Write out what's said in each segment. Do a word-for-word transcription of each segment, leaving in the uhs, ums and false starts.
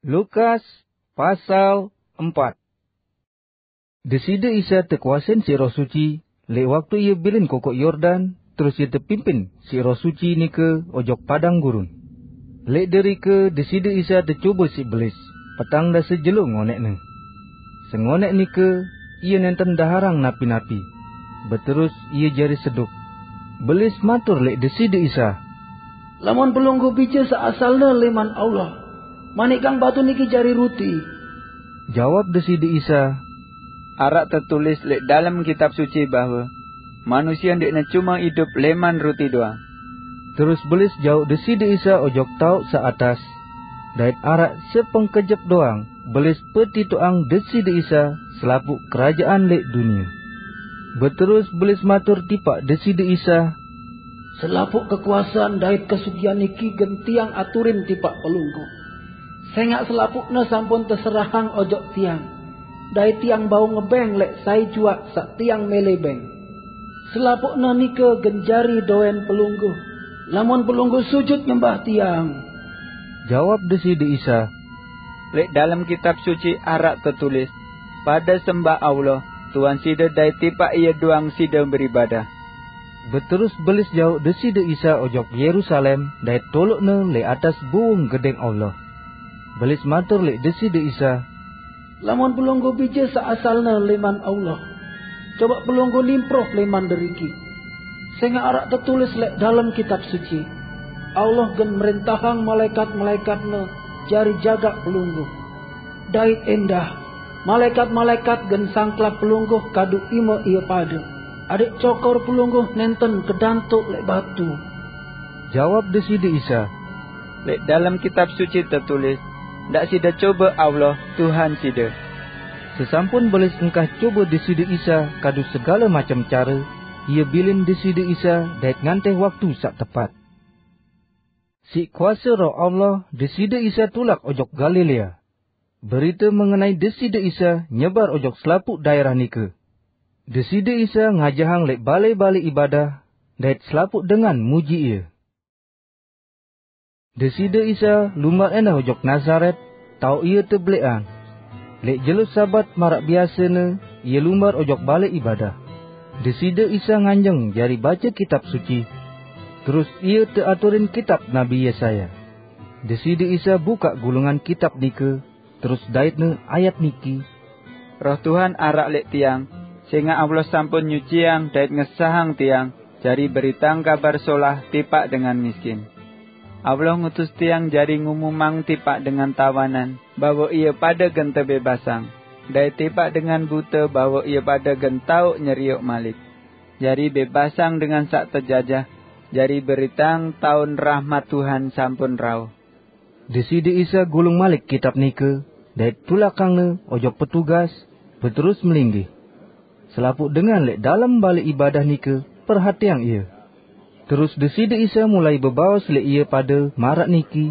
Lukas pasal empat. Deside Isa tekuasen siq Roh Suci leq waktu Ie bilin Kokoq Yordan, terus Ie tepimpin siq Roh Suci nike ojok padang gurun. Leq derike Deside Isa tecobe siq belis, petang dase jelo ngoneqne. Sengoneq nike Ie nenten daharang napi-napi, beterus Ie jari seduk. Belis matur leq Deside Isa, "Lamun Pelungguh bije saq asalne leman Allah, manikang batu niki jari ruti." Jawab Deside Isa, "Araq tetulis leq dalem Kitab Suci bahwe, 'Manusie ndeqne cume idup leman ruti doang.'" Terus belis jauq Deside Isa ojok taoq saq atas, dait araq sepengkejep doang belis petitoqang Deside Isa selapuq kerajaan leq dunie. Beterus belis matur tipaq Deside Isa, "Selapuq kekuasean dait kesugihan niki gen Tiang aturin tipaq Pelungguh. Sengaq selapuqne sampun teserahang ojok Tiang, dait Tiang bau ngebeng leq sai juaq saq Tiang mele beng. Selapuqne nike gen jari doen Pelungguh, lamun Pelungguh sujut nyembah Tiang." Jawab Deside Isa, "Leq dalem Kitab Suci araq tetulis, 'Pade sembah Allah, Tuhan side dait tipaq Ie doang side beribadah.'" Beterus belis jauq Deside Isa ojok Yerusalem dait toloqne leq atas buwung Gedeng Allah. Belis matur leq Deside Isa, "Lamun Pelungguh bije saq asalne leman Allah, coba Pelungguh nimproh leman deriki. Sengaq araq tetulis leq dalem Kitab Suci, 'Allah gen mrentahang malaekat-malaekat-Ne jari jagaq Pelungguh.' Dait endah, malaekat-malaekat gen sangklap Pelungguh kadu ime ie pade, adeq cokor Pelungguh nenten kedantoq leq batu." Jawab Deside Isa, "Leq dalem Kitab Suci tetulis, 'Ndaq side cobe Allah, Tuhan side.'" Sesampun belis engkah cobe Deside Isa kadu segale macem care, ie bilin Deside Isa dait ngantih waktu saq tepat. Siq kuase Roh Allah, Deside Isa tulak ojok Galilea. Berite mengenai Deside Isa nyebar ojok selapuq daerah nike. Deside Isa ngajahang leq balẽ-balẽ ibadah, dait selapuq dengan muji Ie. Deside Isa lumbar endah ojok Nazaret, taoq Ie tebeleqan. Leq jelo Sabat maraq biasene, Ie lumbar ojok balẽ ibadah. Deside Isa nganjeng jari bace Kitab Suci. Terus Ie teaturin kitab Nabi Yesaya. Deside Isa bukaq gulungan kitab nike, terus daitne ayat niki, "Roh Tuhan araq leq Tiang, sengaq Allah sampun nyuciang dait ngesahang Tiang jari beritang Kabar Solah tipaq dengan miskin. Allah ngutus Tiang jari ngumumang tipaq dengan tawanan bahwe ie pade gen tebebasang, dait tipaq dengan bute bahwe ie pade gen taoq nyerioq malik, jari bebasang dengan saq tejajah, jari beritang taun rahmat Tuhan sampun rauh." Deside Isa gulung malik kitab nike, dait tulakangne ojok petugas, beterus melinggih. Selapuq dengan leq dalem balẽ ibadah nike perhateang Ie. Terus Deside Isa mulai bebaos leq ie pade maraq niki,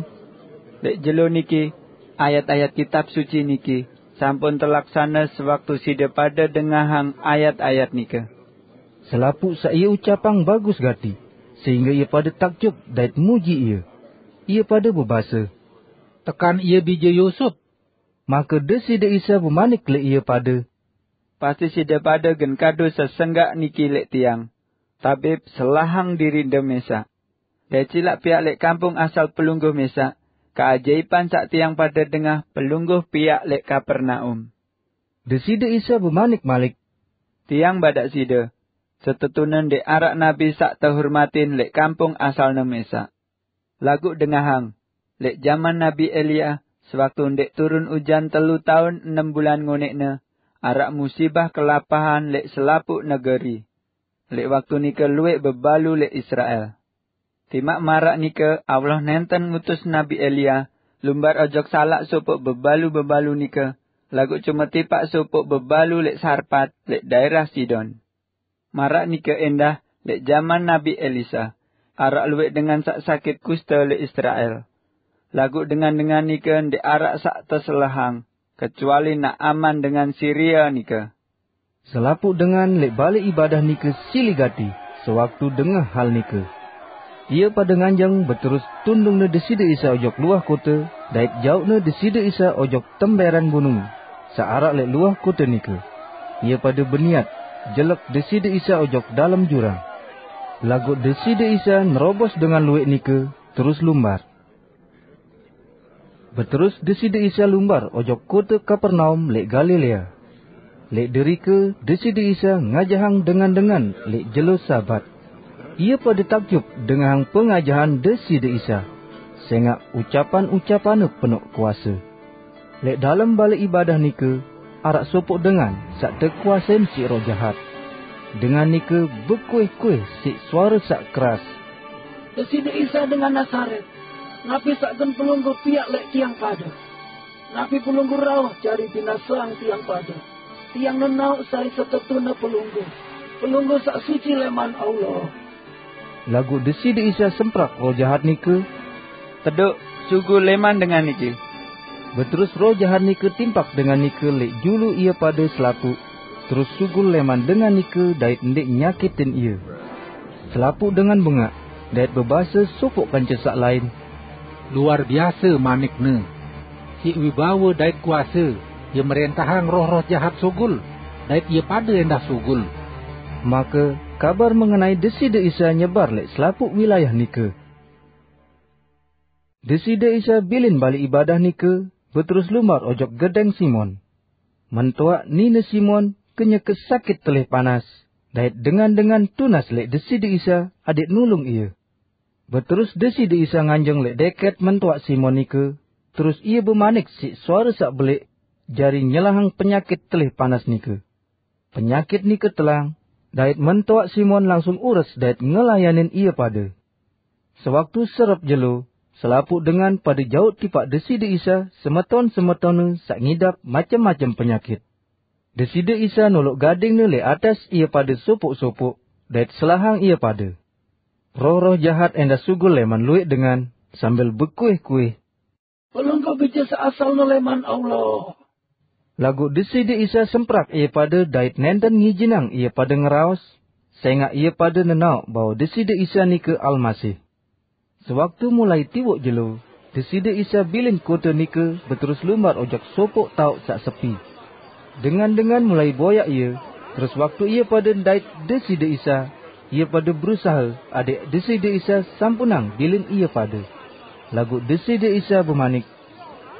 "Leq jelo niki, ayat-ayat Kitab Suci niki sampun telaksane sewaktu side pade dengahang ayat-ayat nike." Selapuq saq Ie ucapang bagus gati, sehingge ie pade takjub dait muji Ie. Ie pade bebase, "Tekan Ie bije Yusup." Make Deside Isa bemanik leq ie pade, "Pasti side pade gen kadu sesenggaq niki leq Tiang, 'Tabib, selahang dirinde mesaq. Dait silaq piaq leq kampung asal Pelungguh mesaq keajaipan saq tiang pade dengah Pelungguh piaq leq Kapernaum.'" Deside Isa bemanik malik, "Tiang badaq side, setetune ndeq araq nabi saq tehurmatin leq kampung asalne mesaq. Laguq dengahang, leq jaman Nabi Elia, sewaktu ndeq turun ujan telu taun enem bulan ngoneqne, araq musibah kelapahan leq selapuq negeri. Leq waktu nike lueq bebalu leq Israel. Timaq maraq nike Allah nenten ngutus Nabi Elia lumbar ojok salaq sopoq bebalu-bebalu nike, laguq cume tipaq sopoq bebalu leq Sarpat, leq daerah Sidon. Maraq nike endah leq jaman Nabi Elisa, araq lueq dengan saq sakit kuste leq Israel. Laguq dengan-dengan nike ndeq araq saq teselahang, kecuali Naaman dengan Siria nike." Selapuq dengan leq balẽ ibadah nike sili gati sewaktu dengah hal nike. Ia pada nganjeng beterus tundungna Deside Isa ojok luah kote, dait jauqna Deside Isa ojok temberan bunung, saq araq leq luah kote nike. Ia pada beniat jelek Deside Isa ojok dalem jurang. Laguq Deside Isa nerobos dengan lueq nike, terus lumbar. Beterus Deside Isa lumbar ojok kote Kapernaum leq Galilea. Leq derike Deside Isa ngajahang dengan-dengan leq jelo Sabat. Ie pade takjub dengahang pengajahan Deside Isa, sengaq ucapan-ucapanne penoq kuase. Leq dalem bale ibadah nike araq sopoq dengan saq tekuasein siq roh jahat. Dengan nike bekuih-kuih siq suare saq keras, "Deside Isa dengan Nazaret, napi saq gen pelungguh piaq leq tiang pade? Napi pelungguh rauh jari binaseang tiang pade? Tiang nenaoq sai setetune pelungguh, pelungguh saq suci leman Allah." Laguq Deside Isa semprak roh jahat nike, "Tedoq, sugul leman dengan nike!" Beterus roh jahat nike timpak dengan nike leq julu ie pade selapuq, terus sugul leman dengan nike dait ndeq nyakitin ie. Selapuq dengan bengaq, dait bebase sopoq kance saq lain, "Luar biase manikne! Siq wibawe dait kuase ie mrentahang roh-roh jahat sugul, dait ie pade endah sugul." Make kabar mengenai Deside Isa nyebar leq selapuq wilayah nike. Deside Isa bilin bale ibadah nike, beterus lumbar ojok gedeng Simon. Mentoaq nine Simon kenyeke sakit telih panas, dait dengan-dengan tunas leq Deside Isa adẽq nulung ie. Beterus Deside Isa nganjeng leq deket mentoaq Simon nike, terus ie bemanik siq suare saq beleq jari nyelahang penyakit telih panas nike. Penyakit nike telang, dait mentoaq Simon langsung ures dait ngelayanin ie pade. Sewaktu serep jelo, selapuq dengan pade jauq tipaq Deside Isa semeton-semetonne saq ngidap macem-macem penyakit. Deside Isa noloq gadingne leq atas ie pade sopoq-sopoq, dait selahang ie pade. Roh-roh jahat endah sugul leman lueq dengan sambil bekuih-kuih, "Pelungguh bije saq asalne leman Allah." Laguq Deside Isa semprak ie pade dait nenten ngijinang ie pade ngeraos, sengaq ie pade nenaoq bahwe Deside Isa nike Almasih. Sewaktu mulai tiwoq jelo, Deside Isa bilin kote nike beterus lumbar ojok sopoq taoq saq sepi. Dengan-dengan mulai boyaq ie, terus waktu ie pade ndait Deside Isa, ie pade berusahe adẽq Deside Isa sampunang bilin ie pade. Laguq Deside Isa bemanik,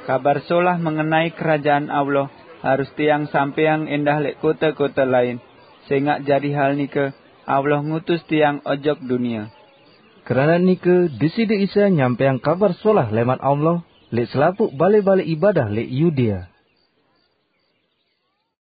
"Kabar Solah mengenai Kerajaan Allah harus tiang sampeang endah leq kote-kote lain, sengaq jari hal nike Allah ngutus tiang ojok dunie." Keranaq nike Deside Isa nyampẽang Kabar Solah leman Allah leq selapuq bale-bale ibadah leq Yudea.